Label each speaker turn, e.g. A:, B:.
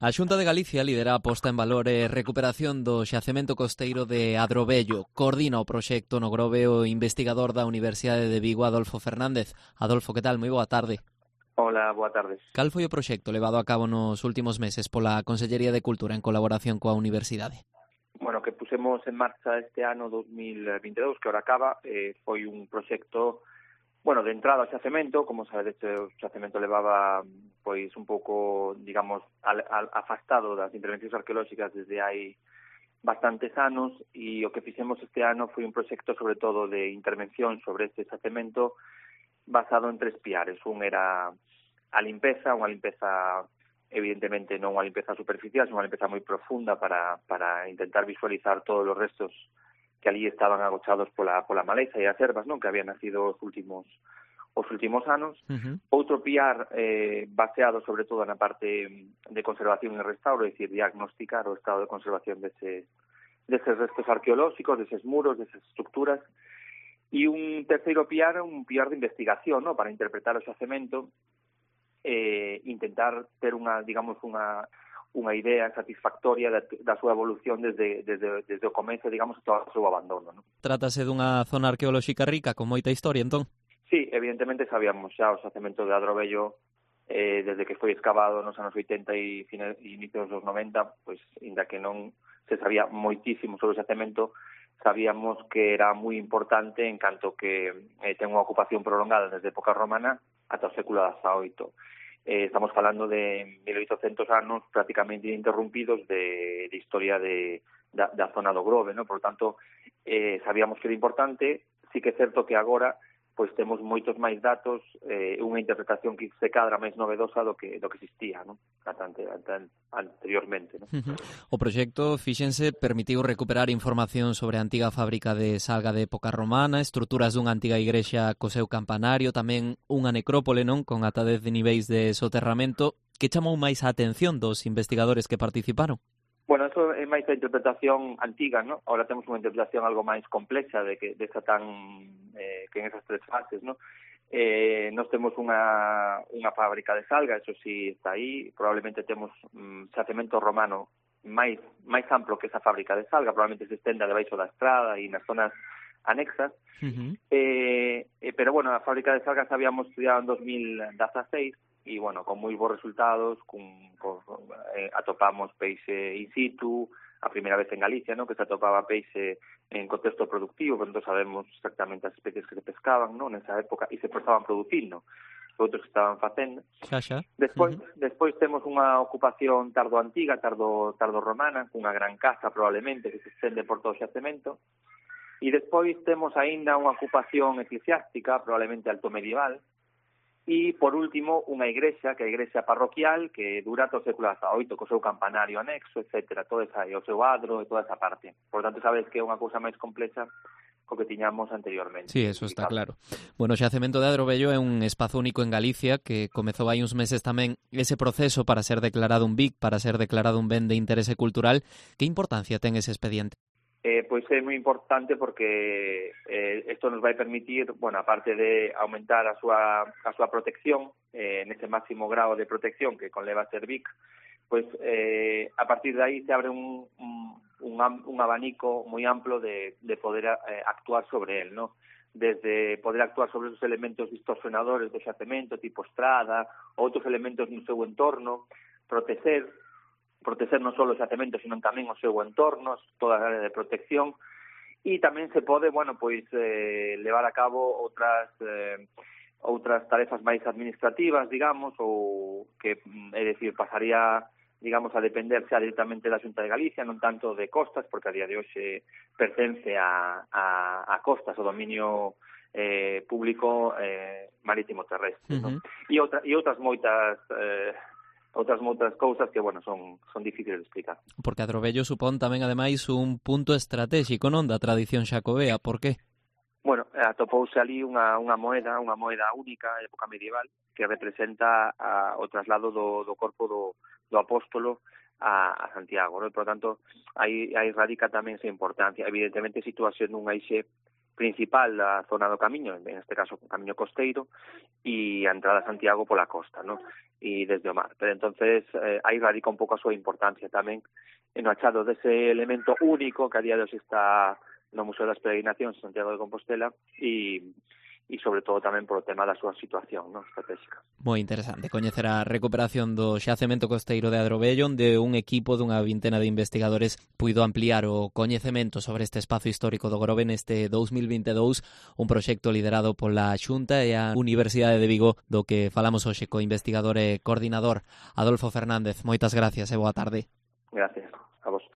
A: A Xunta de Galicia lidera a posta en valor e recuperación do xacemento costeiro de Adrobello. Coordina o proxecto no Grove o investigador da Universidade de Vigo, Adolfo Fernández. Adolfo, que tal? Moi boa tarde.
B: Hola, boa tarde.
A: Cal foi o proxecto levado a cabo nos últimos meses pola Consellería de Cultura en colaboración coa Universidade?
B: Bueno, que pusemos en marcha este ano 2022, que ahora acaba, foi un proxecto, de entrada ao xacemento. Como sabedes, o xacemento levaba pois un pouco, digamos, afastado das intervencións arqueolóxicas desde hai bastantes anos, e o que fixemos este ano foi un proxecto sobre todo de intervención sobre este xacemento basado en 3 piares. Un era a limpeza, unha limpeza evidentemente non unha limpeza superficial, sino unha limpeza moi profunda para intentar visualizar todos os restos que ali estaban agochados pola maleza e as ervas, non, que habían nacido os últimos anos. Outro piar baseado sobre todo na parte de conservación e restauro, é dicir, diagnosticar o estado de conservación deses restos arqueolóxicos, deses muros, desas estructuras. E un terceiro piar, un piar de investigación, non, para interpretar o xacemento, intentar ter unha idea satisfactoria da súa evolución desde o comezo, digamos, hasta o seu abandono, non?
A: Trátase dunha zona arqueolóxica rica con moita historia, entón?
B: Sí, evidentemente sabíamos xa o xacemento de Adrobello desde que foi excavado nos anos 80 e inicios dos 90, pois, inda que non se sabía moitísimo sobre o xacemento, sabíamos que era moi importante en canto que ten unha ocupación prolongada desde a época romana ata o século XVIII. Estamos falando de 1800 anos prácticamente interrumpidos de historia da zona do Grove, ¿no? Por tanto, sabíamos que era importante. Sí que é certo que agora pois temos moitos máis datos, unha interpretación que se cadra máis novedosa do que existía, ¿no? Anteriormente, ¿no?
A: O proxecto, fíxense, permitiu recuperar información sobre a antiga fábrica de salga de época romana, estruturas dunha antiga igrexa co seu campanario, tamén unha necrópole, non, con ata 10 niveis de soterramento. Que chamou máis a atención dos investigadores que participaron?
B: Bueno, eso é máis a interpretación antiga, ¿no? Ahora temos unha interpretación algo máis complexa que en esas 3 fases, ¿no? Nós temos unha fábrica de salga, eso sí está aí. Probablemente temos xacemento romano máis amplo que esa fábrica de salga, probablemente se estenda debaixo da estrada e nas zonas anexas. Pero, a fábrica de salga habíamos estudiado en 2016 e, con moi bons resultados, atopamos peixe in situ, a primeira vez en Galicia, ¿no?, que se atopaba peixe en contexto productivo, porque non sabemos exactamente as especies que se pescaban, ¿no?, nesa época, e se estaban producindo, outros que estaban facendo. Despois temos unha ocupación tardo-antiga, tardo-romana, cunha gran casa probablemente que se estende por todo o xacemento, e despois temos aínda unha ocupación eclesiástica, probablemente alto medieval, e, por último, unha igrexa, que é a igrexa parroquial, que dura todo o século XVIII, co seu campanario anexo, etcétera, todo o seu adro e toda esa parte. Por tanto, sabes que é unha cousa máis complexa co que tiñamos anteriormente.
A: Sí, eso está claro. Bueno, o xacemento de Adrobello é un espazo único en Galicia que comezou hai uns meses tamén ese proceso para ser declarado un BIC, para ser declarado un ben de interese cultural. Que importancia ten ese expediente?
B: Pois é moi importante porque isto nos vai permitir, aparte de aumentar a súa protección, nese máximo grado de protección que conleva ser BIC, pois a partir de aí se abre un abanico moi amplo de poder actuar sobre él, ¿no? Desde poder actuar sobre esos elementos distorsionadores do xacemento, tipo estrada, outros elementos no seu entorno, proteger non só o xacemento, sino tamén o seu entorno, toda a área de protección, e tamén se pode, levar a cabo outras tarefas máis administrativas, digamos, ou que, é dicir, pasaría, digamos, a depender xa directamente da Xunta de Galicia, non tanto de costas, porque a día de hoxe pertence a costas, o dominio público marítimo terrestre, ¿no? E outras moitas cousas que, son difíciles de explicar.
A: Porque Adrobello supón tamén, ademais, un punto estratégico, non, da tradición xacobea. Por qué?
B: Atopouse ali unha moeda única, época medieval, que representa o traslado do corpo do apóstolo a Santiago, ¿no? Por tanto, aí radica tamén esa importancia. Evidentemente, situación nun eixe principal da zona do camiño, en este caso o camiño costeiro, e a entrada a Santiago pola costa, ¿no? E desde o mar. Pero entonces aí radica un pouco a súa importancia tamén en o achado dese elemento único que a día de hoxe está no Museo das Peregrinacións de Santiago de Compostela e sobre todo tamén por o tema da súa situación, ¿no?, estratégica.
A: Moi interesante coñecer a recuperación do xacemento costeiro de Adrovello, onde un equipo dunha vintena de investigadores puido ampliar o coñecemento sobre este espazo histórico do Grove neste 2022, un proxecto liderado pola Xunta e a Universidade de Vigo, do que falamos hoxe co investigador e coordinador Adolfo Fernández. Moitas gracias e boa tarde.
B: Gracias a vos.